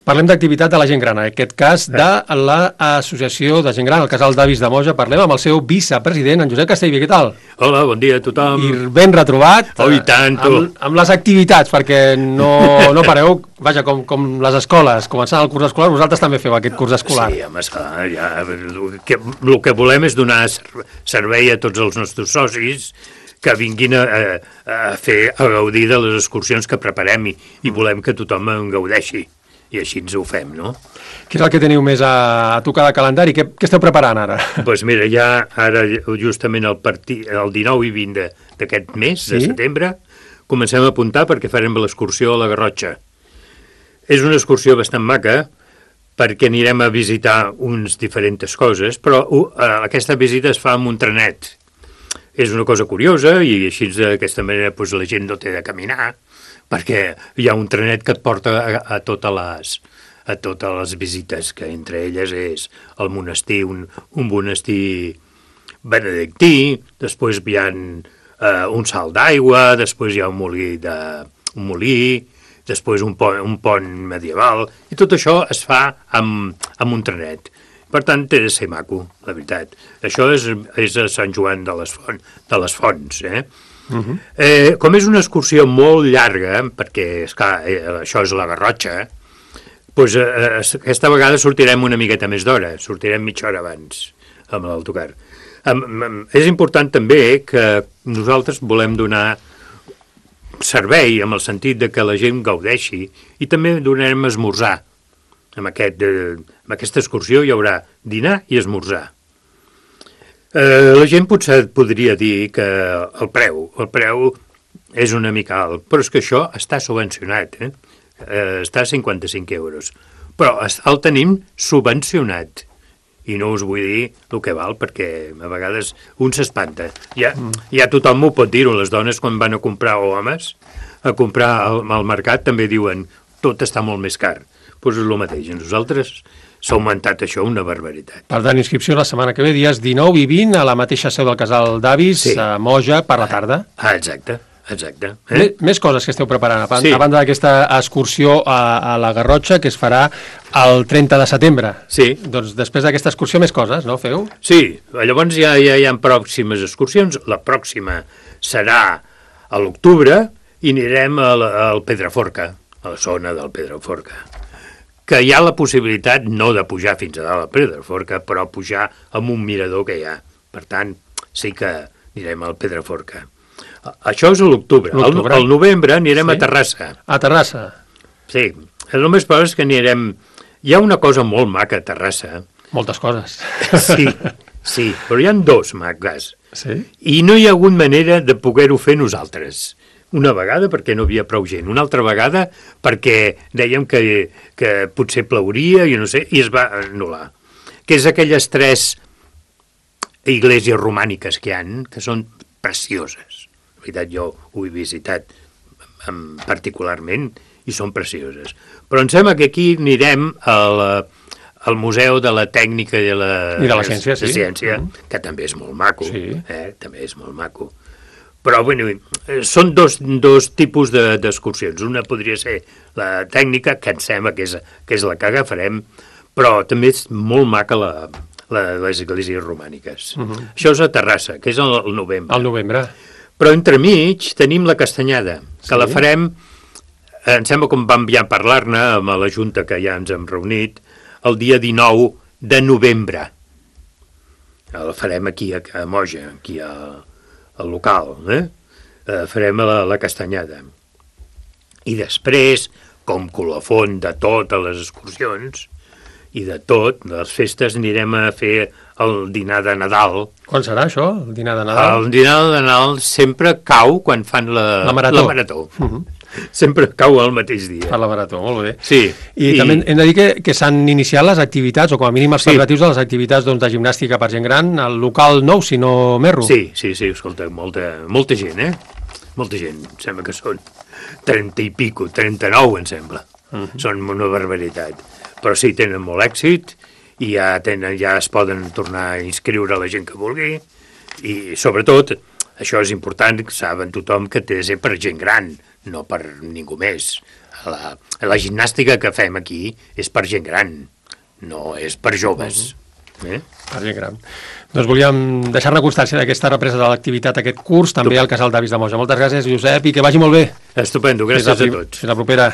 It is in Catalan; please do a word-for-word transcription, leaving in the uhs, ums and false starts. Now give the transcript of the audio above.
Parlem d'activitat de la gent gran, en aquest cas de l'Associació de Gent Gran, el Casal d'Avis de Moja. Parlem amb el seu vicepresident, en Josep Castellví. Què tal? Hola, bon dia a tothom. I ben retrobat. Oh, i tant, tu. Amb, amb les activitats, perquè no, no pareu, vaja, com, com les escoles, començant el curs escolar, vosaltres també feu aquest curs escolar. Sí, home, esclar, ja, el, que, el que volem és donar servei a tots els nostres socis que vinguin a, a, a fer, a gaudir de les excursions que preparem i, i volem que tothom en gaudeixi. I així ens ho fem, no? Què és el que teniu més a, a tocar de calendari? Què, què esteu preparant ara? Doncs pues mira, ja ara justament el, partit, el dinou i vint d'aquest mes, sí? de setembre, comencem a apuntar perquè farem l'excursió a la Garrotxa. És una excursió bastant maca perquè anirem a visitar uns diferents coses, però uh, aquesta visita es fa amb un trenet. És una cosa curiosa i així d'aquesta manera pues, la gent no té de caminar, perquè hi ha un trenet que et porta a, a, totes, les, a totes les visites, que entre elles és el monestir, un, un monestir benedictí, després hi ha uh, un salt d'aigua, després hi ha un molí, de, un molí després un pont, un pont medieval, i tot això es fa amb, amb un trenet. Per tant, té de ser maco, la veritat. Això és, és a Sant Joan de les, Font, de les Fonts, eh? Uh-huh. Eh, com és una excursió molt llarga, perquè esclar, eh, això és la Garrotxa, doncs eh, aquesta vegada sortirem una miqueta més d'hora, sortirem mitja hora abans amb l'autocar. Eh, és important també que nosaltres volem donar servei amb el sentit de que la gent gaudeixi i també donarem esmorzar. Amb, aquest, eh, amb aquesta excursió hi haurà dinar i esmorzar. Eh, la gent potser podria dir que el preu, el preu és una mica alt, però és que això està subvencionat, eh? Eh, està a cinquanta-cinc euros, però el tenim subvencionat, i no us vull dir el que val, perquè a vegades un s'espanta. Ja, ja tothom ho pot dir-ho, les dones quan van a comprar, o homes, a comprar al, al mercat també diuen tot està molt més car. Doncs és el mateix, a nosaltres s'ha augmentat això una barbaritat. Per tant, inscripció la setmana que ve, dies dinou i vint, a la mateixa seu del Casal d'Avis, sí. a Moja, per la tarda. Ah, exacte, exacte. Eh? Més, més coses que esteu preparant, a, sí. a banda d'aquesta excursió a, a la Garrotxa, que es farà el trenta de setembre. Sí. Doncs després d'aquesta excursió més coses, no, feu? Sí, llavors ja, ja hi ha pròximes excursions. La pròxima serà a l'octubre i anirem al, al Pedraforca, a la zona del Pedraforca, que hi ha la possibilitat no de pujar fins a dalt al Pedraforca, però pujar amb un mirador que hi ha. Per tant, sí que anirem al Pedraforca. Això és a l'octubre. Al, al novembre anirem sí? a Terrassa. A Terrassa. Sí. El només però és que anirem... Hi ha una cosa molt maca a Terrassa. Moltes coses. Sí, sí, però hi ha dos maques. Sí? I no hi ha hagut manera de poder-ho fer nosaltres. Una vegada perquè no havia prou gent, una altra vegada perquè dèiem que, que potser plauria i no sé, i es va anul·lar. Que és aquelles tres iglesias romàniques que hi ha, que són precioses. En veritat, jo ho he visitat particularment i són precioses. Però em sembla que aquí anirem al, al Museu de la Tècnica i de la, I de la Ciència, de sí. ciència mm. que també és molt maco. Sí. Eh? També és molt maco. Però, bueno, són dos, dos tipus d'excursions. Una podria ser la tècnica, que em sembla que és, que és la que agafarem, però també és molt maca la, la, les esglésies romàniques. Uh -huh. Això és a Terrassa, que és el novembre. Al novembre. Però entremig tenim la Castanyada, que sí? la farem, em sembla com vam ja parlar-ne amb la Junta, que ja ens hem reunit, el dia dinou de novembre. La farem aquí a, a Moja, aquí a... al local, eh? eh farem la, la Castanyada. I després, com colofon de totes les excursions i de tot, de les festes, anirem a fer el dinar de Nadal. Quan serà això, el dinar de Nadal? El dinar de Nadal sempre cau quan fan la, la marató. La marató. Uh -huh. Sempre cau el mateix dia. Per la marató, molt bé. Sí. I, I també hem de dir que, que s'han iniciat les activitats, o com a mínim els preparatius sí. de les activitats doncs, de gimnàstica per gent gran, al local nou, si no m'erro. Sí, sí, sí, escolta, molta, molta gent, eh? Molta gent, em sembla que són trenta i pico, trenta-nou, em sembla. Uh -huh. Són una barbaritat. Però sí, tenen molt èxit i ja, tenen, ja es poden tornar a inscriure la gent que vulgui i, sobretot, això és important, saben tothom que té de ser per gent gran, no per ningú més. La, la gimnàstica que fem aquí és per gent gran, no és per joves. Uh-huh. eh? Per gent gran. Doncs volíem deixar-ne constància d'aquesta represa de l'activitat, aquest curs, també al Casal d'Avis de Moja. Moltes gràcies, Josep, i que vagi molt bé. Estupendo, gràcies a tots. Fins la propera.